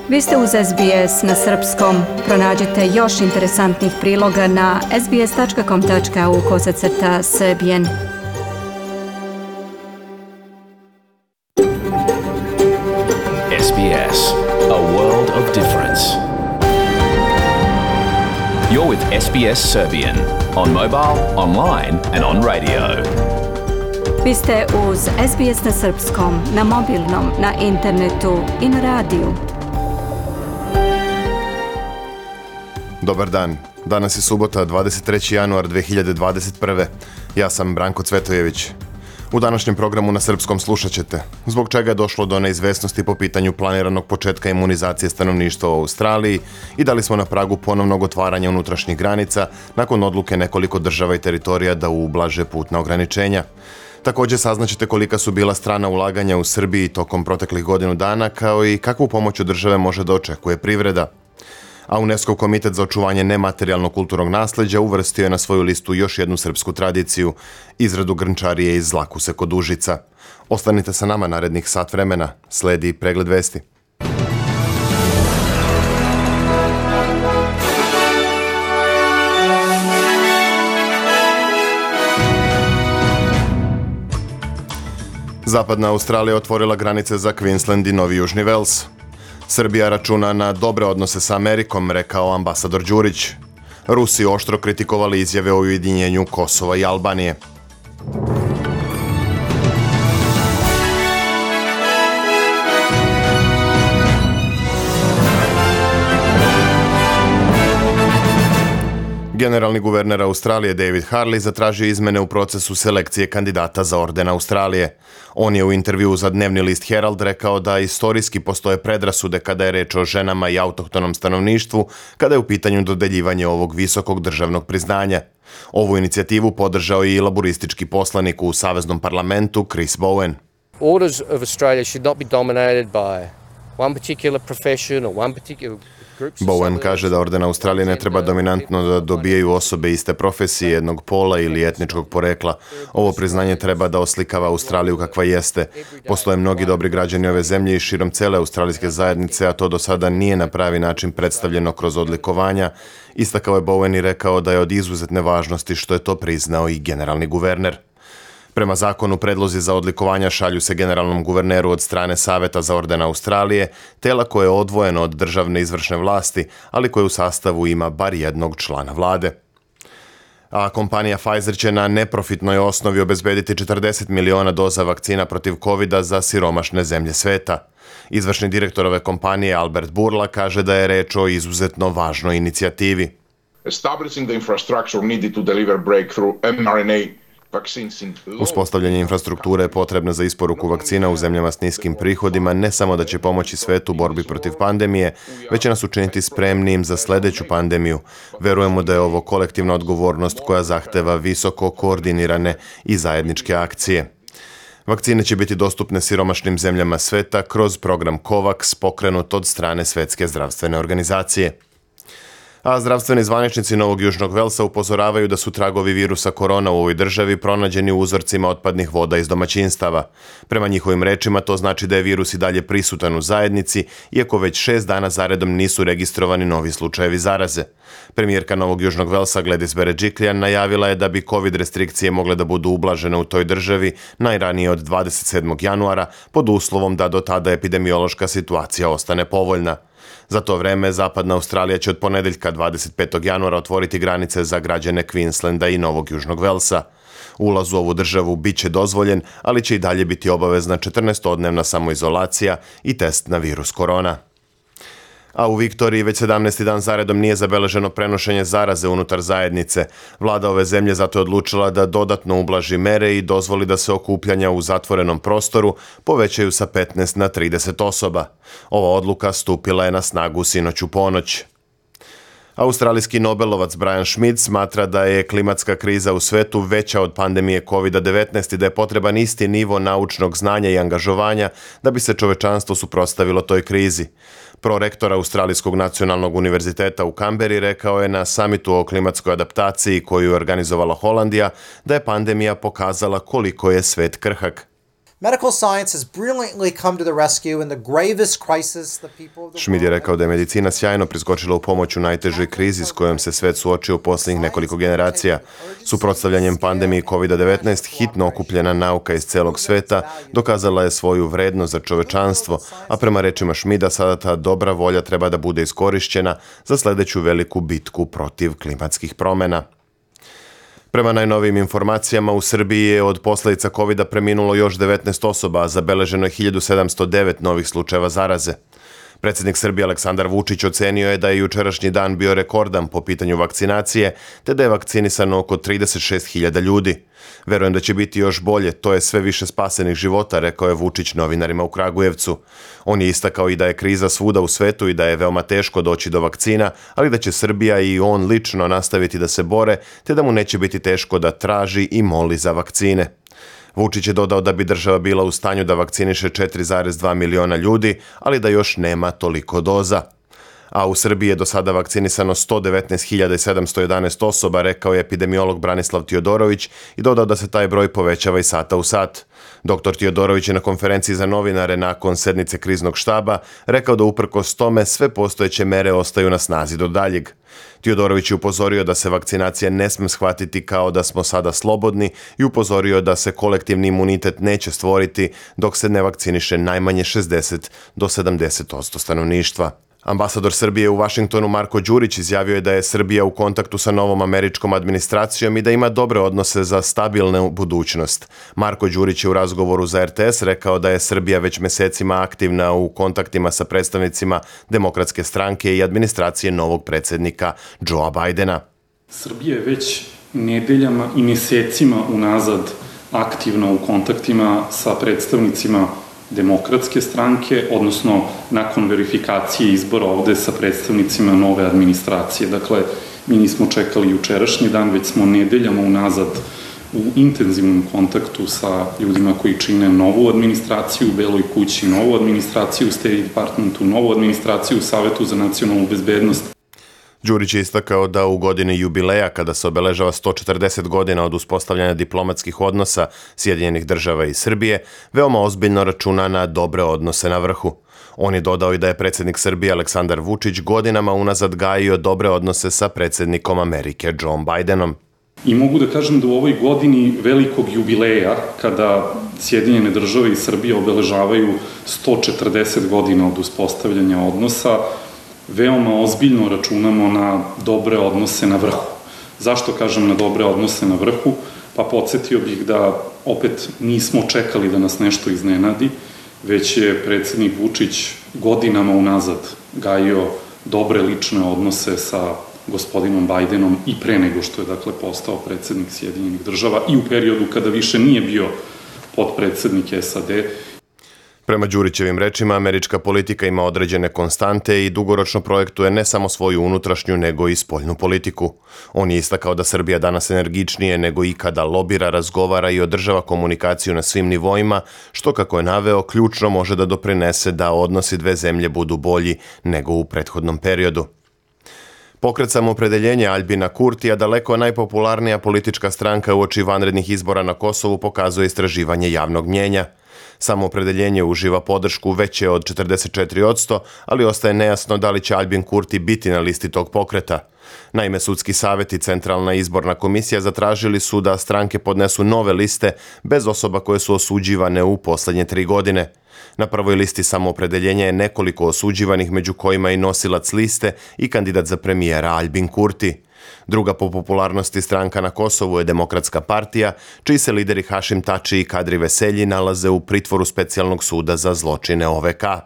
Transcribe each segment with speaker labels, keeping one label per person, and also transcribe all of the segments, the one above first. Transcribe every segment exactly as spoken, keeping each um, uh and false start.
Speaker 1: Vi ste uz S B S na srpskom. Pronađite još interesantnih priloga na sbs.com.au kosacrta srbijen.
Speaker 2: S B S, a world of difference. You're with S B S Serbian on mobile, online and on radio.
Speaker 1: Vi ste uz S B S na srpskom, na mobilnom, na internetu i na radiju.
Speaker 3: Dobar dan. Danas je subota, dvadeset treći januar dve hiljade dvadeset prve. Ja sam Branko Cvetojević. U današnjem programu na srpskom slušat ćete zbog čega je došlo do neizvesnosti po pitanju planiranog početka imunizacije stanovništva u Australiji i da li smo na pragu ponovnog otvaranja unutrašnjih granica nakon odluke nekoliko država i teritorija da ublaže putna ograničenja. Također saznaćete kolika su bila strana ulaganja u Srbiji tokom proteklih godinu dana, kao i kakvu pomoć od države može da očekuje privreda. A UNESCO komitet za očuvanje nematerijalnog kulturnog nasleđa uvrstio je na svoju listu još jednu srpsku tradiciju, izradu grnčarije iz Zlakuse kod Užica. Ostanite sa nama narednih sat vremena, sledi pregled vesti. Zapadna Australija otvorila granice za Queensland i Novi Južni Vels. Srbija računa na dobre odnose sa Amerikom, rekao ambasador Đurić. Rusi oštro kritikovali izjave o ujedinjenju Kosova i Albanije. Generalni guverner Australije David Harley zatražio izmene u procesu selekcije kandidata za orden Australije. On je u intervjuu za dnevni list Herald rekao da istorijski postoje predrasude kada je reč o ženama i autohtonom stanovništvu, kada je u pitanju dodeljivanje ovog visokog državnog priznanja. Ovu inicijativu podržao i laburistički poslanik u Saveznom parlamentu Chris Bowen.
Speaker 4: Orders of Australia should not be dominated by one particular profession or one particular
Speaker 3: Bowen kaže da orden Australije ne treba dominantno da dobijaju osobe iste profesije, jednog pola ili etničkog porekla. Ovo priznanje treba da oslikava Australiju kakva jeste. Postoje mnogi dobri građani ove zemlje i širom cele australijske zajednice, a to do sada nije na pravi način predstavljeno kroz odlikovanja. Istakao je Bowen i rekao da je od izuzetne važnosti što je to priznao i generalni guverner. Prema zakonu, predlozi za odlikovanja šalju se generalnom guverneru od strane Saveta za orden Australije, tela koje je odvojeno od državne izvršne vlasti, ali koje u sastavu ima bar jednog člana vlade. A kompanija Pfizer će na neprofitnoj osnovi obezbediti četrdeset miliona doza vakcina protiv kovida za siromašne zemlje sveta. Izvršni direktor ove kompanije Albert Bourla kaže da je reč o izuzetno važnoj inicijativi.
Speaker 5: Establishing the infrastructure needed to deliver breakthrough em er en a
Speaker 3: Uspostavljanje infrastrukture je potrebno za isporuku vakcina u zemljama s niskim prihodima, ne samo da će pomoći svetu u borbi protiv pandemije, već će nas učiniti spremnijim za sljedeću pandemiju. Verujemo da je ovo kolektivna odgovornost koja zahteva visoko koordinirane i zajedničke akcije. Vakcine će biti dostupne siromašnim zemljama sveta kroz program COVAX pokrenut od strane Svetske zdravstvene organizacije. A zdravstveni zvaničnici Novog Južnog Velsa upozoravaju da su tragovi virusa korona u ovoj državi pronađeni u uzorcima otpadnih voda iz domaćinstava. Prema njihovim rečima to znači da je virus i dalje prisutan u zajednici, iako već šest dana zaredom nisu registrovani novi slučajevi zaraze. Premijerka Novog Južnog Velsa Gladys Berejiklian najavila je da bi COVID restrikcije mogle da budu ublažene u toj državi najranije od dvadeset sedmog januara pod uslovom da do tada epidemiološka situacija ostane povoljna. Za to vreme, Zapadna Australija će od ponedeljka dvadeset petog januara otvoriti granice za građane Queenslanda i Novog Južnog Velsa. Ulaz u ovu državu bit će dozvoljen, ali će i dalje biti obavezna četrnaestodnevna samoizolacija i test na virus korona. A u Viktoriji već sedamnaesti dan zaredom nije zabeleženo prenošenje zaraze unutar zajednice. Vlada ove zemlje zato je odlučila da dodatno ublaži mere i dozvoli da se okupljanja u zatvorenom prostoru povećaju sa petnaest na trideset osoba. Ova odluka stupila je na snagu sinoć u ponoć. Australijski nobelovac Brian Schmidt smatra da je klimatska kriza u svetu veća od pandemije kovid devetnaest i da je potreban isti nivo naučnog znanja i angažovanja da bi se čovečanstvo suprotstavilo toj krizi. Prorektor Australijskog nacionalnog univerziteta u Kamberi rekao je na samitu o klimatskoj adaptaciji koju je organizovala Holandija da je pandemija pokazala koliko je svet krhak.
Speaker 6: Medical science has brilliantly come to the rescue in the gravest crisis the people of the
Speaker 3: Schmid je rekao da je medicina sjajno priskočila u pomoć u najtežoj krizi s kojom se svet suočio u posljednjih nekoliko generacija. Suprotstavljanjem pandemiji kovid devetnaest, hitno okupljena nauka iz celog sveta dokazala je svoju vrednost za čovečanstvo, a prema rečima Schmida sada ta dobra volja treba da bude iskorišćena za sljedeću veliku bitku protiv klimatskih promjena. Prema najnovijim informacijama, u Srbiji je od posljedica kovida preminulo još devetnaest osoba, a zabeleženo je hiljadu sedamsto devet novih slučajeva zaraze. Predsjednik Srbije Aleksandar Vučić ocenio je da je jučerašnji dan bio rekordan po pitanju vakcinacije, te da je vakcinisano oko trideset šest hiljada ljudi. Verujem da će biti još bolje, to je sve više spasenih života, rekao je Vučić novinarima u Kragujevcu. On je istakao i da je kriza svuda u svetu i da je veoma teško doći do vakcina, ali da će Srbija i on lično nastaviti da se bore, te da mu neće biti teško da traži i moli za vakcine. Vučić je dodao da bi država bila u stanju da vakciniše četiri zarez dva miliona ljudi, ali da još nema toliko doza. A u Srbiji je do sada vakcinisano sto devetnaest hiljada sedamsto jedanaest osoba, rekao je epidemiolog Branislav Tiodorović i dodao da se taj broj povećava iz sata u sat. Doktor Tiodorović je na konferenciji za novinare nakon sednice kriznog štaba rekao da uprkos tome sve postojeće mere ostaju na snazi do daljeg. Tiodorović je upozorio da se vakcinacija ne sme shvatiti kao da smo sada slobodni i upozorio da se kolektivni imunitet neće stvoriti dok se ne vakciniše najmanje šezdeset do sedamdeset posto stanovništva. Ambasador Srbije u Vašingtonu Marko Đurić izjavio je da je Srbija u kontaktu sa novom američkom administracijom i da ima dobre odnose za stabilnu budućnost. Marko Đurić je u razgovoru za er te es rekao da je Srbija već mesecima aktivna u kontaktima sa predstavnicima Demokratske stranke i administracije novog predsjednika Joea Bidena.
Speaker 7: Srbija je već nedeljama i mesecima unazad aktivna u kontaktima sa predstavnicima Demokratske stranke, odnosno nakon verifikacije izbora ovde sa predstavnicima nove administracije. Dakle, mi nismo čekali jučerašnji dan, već smo nedeljama unazad u intenzivnom kontaktu sa ljudima koji čine novu administraciju u Beloj kući, novu administraciju u State Departmentu, novu administraciju u Savetu za nacionalnu bezbednost.
Speaker 3: Đurić je istakao da u godini jubileja, kada se obeležava sto četrdeset godina od uspostavljanja diplomatskih odnosa Sjedinjenih država i Srbije, veoma ozbiljno računa na dobre odnose na vrhu. On je dodao i da je predsjednik Srbije Aleksandar Vučić godinama unazad gajio dobre odnose sa predsjednikom Amerike Joeom Bidenom.
Speaker 7: I mogu da kažem da u ovoj godini velikog jubileja, kada Sjedinjene države i Srbije obeležavaju sto četrdeset godina od uspostavljanja odnosa, veoma ozbiljno računamo na dobre odnose na vrhu. Zašto kažem na dobre odnose na vrhu? Pa podsjetio bih da opet nismo čekali da nas nešto iznenadi, već je predsjednik Vučić godinama unazad gajio dobre lične odnose sa gospodinom Bajdenom i pre nego što je dakle postao predsjednik Sjedinjenih država i u periodu kada više nije bio potpredsjednik es a de.
Speaker 3: Prema Đurićevim rečima, američka politika ima određene konstante i dugoročno projektuje ne samo svoju unutrašnju, nego i spoljnu politiku. On je istakao da Srbija danas energičnije nego ikada lobira, razgovara i održava komunikaciju na svim nivoima, što, kako je naveo, ključno može da doprinese da odnosi dve zemlje budu bolji nego u prethodnom periodu. Pokret Samoopredeljenje Aljbina Kurtija, daleko najpopularnija politička stranka uoči vanrednih izbora na Kosovu, pokazuje istraživanje javnog mnjenja. Samoopredeljenje uživa podršku veće od četrdeset četiri posto, ali ostaje nejasno da li će Aljbin Kurti biti na listi tog pokreta. Naime, sudski savjet i Centralna izborna komisija zatražili su da stranke podnesu nove liste bez osoba koje su osuđivane u posljednje tri godine. Na prvoj listi Samoopredeljenja je nekoliko osuđivanih, među kojima i nosilac liste i kandidat za premijera Aljbin Kurti. Druga po popularnosti stranka na Kosovu je Demokratska partija, čiji se lideri Hašim Tači i Kadri Veselji nalaze u pritvoru specijalnog suda za zločine o ve ka.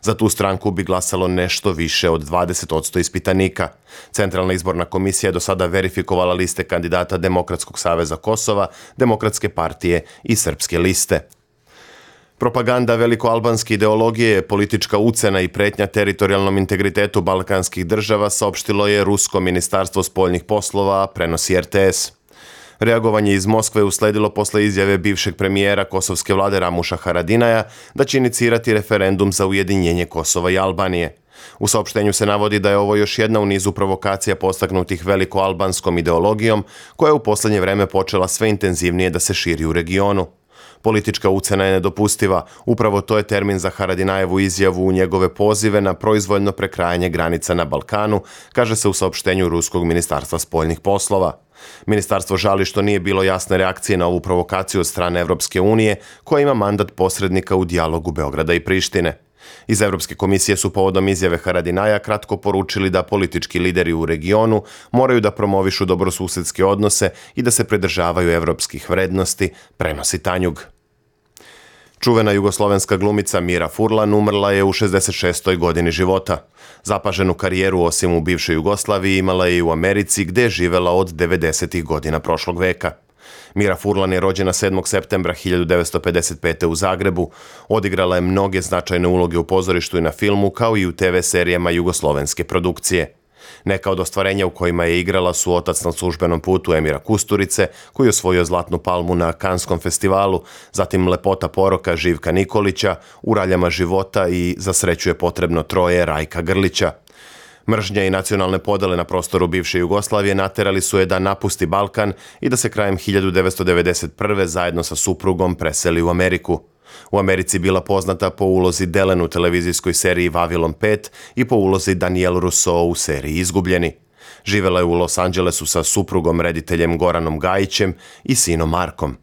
Speaker 3: Za tu stranku bi glasalo nešto više od dvadeset posto ispitanika. Centralna izborna komisija je do sada verifikovala liste kandidata Demokratskog saveza Kosova, Demokratske partije i Srpske liste. Propaganda velikoalbanske ideologije, politička ucena i pretnja teritorijalnom integritetu balkanskih država, saopštilo je Rusko ministarstvo spoljnih poslova, prenosi er te es. Reagovanje iz Moskve usledilo posle izjave bivšeg premijera kosovske vlade Ramuša Haradinaja da će inicirati referendum za ujedinjenje Kosova i Albanije. U saopštenju se navodi da je ovo još jedna u nizu provokacija postaknutih velikoalbanskom ideologijom, koja je u posljednje vreme počela sve intenzivnije da se širi u regionu. Politička ucena je nedopustiva. Upravo to je termin za Haradinajevu izjavu u njegove pozive na proizvoljno prekrajanje granica na Balkanu, kaže se u saopštenju Ruskog ministarstva spoljnih poslova. Ministarstvo žali što nije bilo jasne reakcije na ovu provokaciju od strane Evropske unije, koja ima mandat posrednika u dijalogu Beograda i Prištine. Iz Evropske komisije su povodom izjave Haradinaja kratko poručili da politički lideri u regionu moraju da promovišu dobrosusedske odnose i da se pridržavaju evropskih vrednosti, prenosi Tanjug. Čuvena jugoslovenska glumica Mira Furlan umrla je u šezdeset šestoj godini života. Zapaženu karijeru osim u bivšoj Jugoslaviji imala je i u Americi, gde je živela od devedesetih godina prošlog veka. Mira Furlan je rođena sedmog septembra hiljadu devetsto pedeset pete. u Zagrebu. Odigrala je mnoge značajne uloge u pozorištu i na filmu, kao i u te ve serijama jugoslovenske produkcije. Neka od ostvarenja u kojima je igrala su Otac na službenom putu Emira Kusturice, koji je osvojio Zlatnu palmu na Kanskom festivalu, zatim Lepota poroka Živka Nikolića, U raljama života i Za sreću je potrebno troje Rajka Grlića. Mržnja i nacionalne podele na prostoru bivše Jugoslavije naterali su je da napusti Balkan i da se krajem hiljadu devetsto devedeset prve. zajedno sa suprugom preseli u Ameriku. U Americi bila poznata po ulozi Delen u televizijskoj seriji Vavilon pet i po ulozi Danielle Rousseau u seriji Izgubljeni. Živela je u Los Angelesu sa suprugom rediteljem Goranom Gajićem i sinom Markom.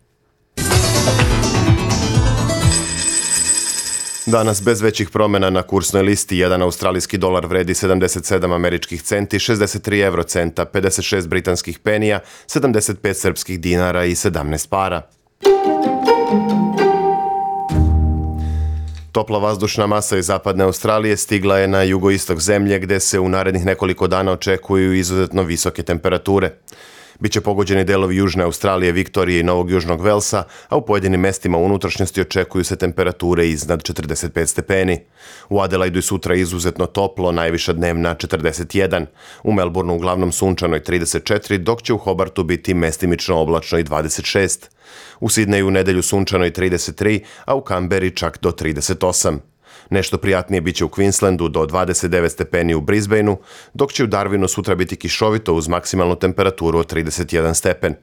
Speaker 3: Danas bez većih promjena na kursnoj listi jedan australijski dolar vredi sedamdeset sedam američkih centi, šezdeset tri evrocenta, pedeset šest britanskih penija, sedamdeset pet srpskih dinara i sedamnaest para. Topla vazdušna masa iz zapadne Australije stigla je na jugoistok zemlje, gde se u narednih nekoliko dana očekuju izuzetno visoke temperature. Biće pogođeni delovi Južne Australije, Viktorije i Novog Južnog Velsa, a u pojedinim mestima unutrašnjosti očekuju se temperature iznad četrdeset pet stepeni. U Adelaidu i sutra izuzetno toplo, najviša dnevna četrdeset jedan. U Melbourneu uglavnom sunčano i trideset četiri, dok će u Hobartu biti mestimično oblačno i dvadeset šest. U Sidneju u nedelju sunčano i trideset tri, a u Kamberi čak do trideset osam. Nešto prijatnije biće u Queenslandu do dvadeset devet stepeni u Brisbaneu, dok će u Darwinu sutra biti kišovito uz maksimalnu temperaturu od trideset jedan stepen.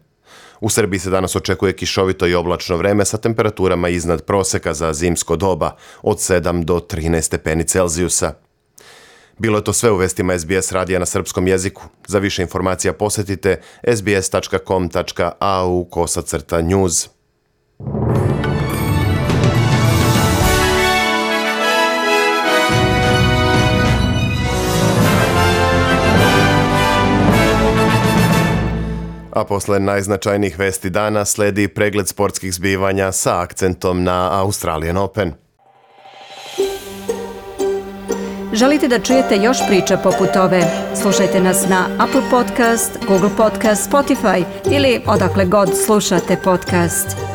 Speaker 3: U Srbiji se danas očekuje kišovito i oblačno vreme sa temperaturama iznad proseka za zimsko doba od sedam do trinaest stepeni Celzijusa. Bilo je to sve u vestima es bi es radija na srpskom jeziku. Za više informacija posetite es bi es tačka com tačka a u kosacrta news. A posle najznačajnijih vesti dana sledi pregled sportskih zbivanja sa akcentom na Australian Open.
Speaker 1: Želite da čujete još priča poput ove? Slušajte nas na Apple Podcast, Google Podcast, Spotify ili odakle god slušate podcast.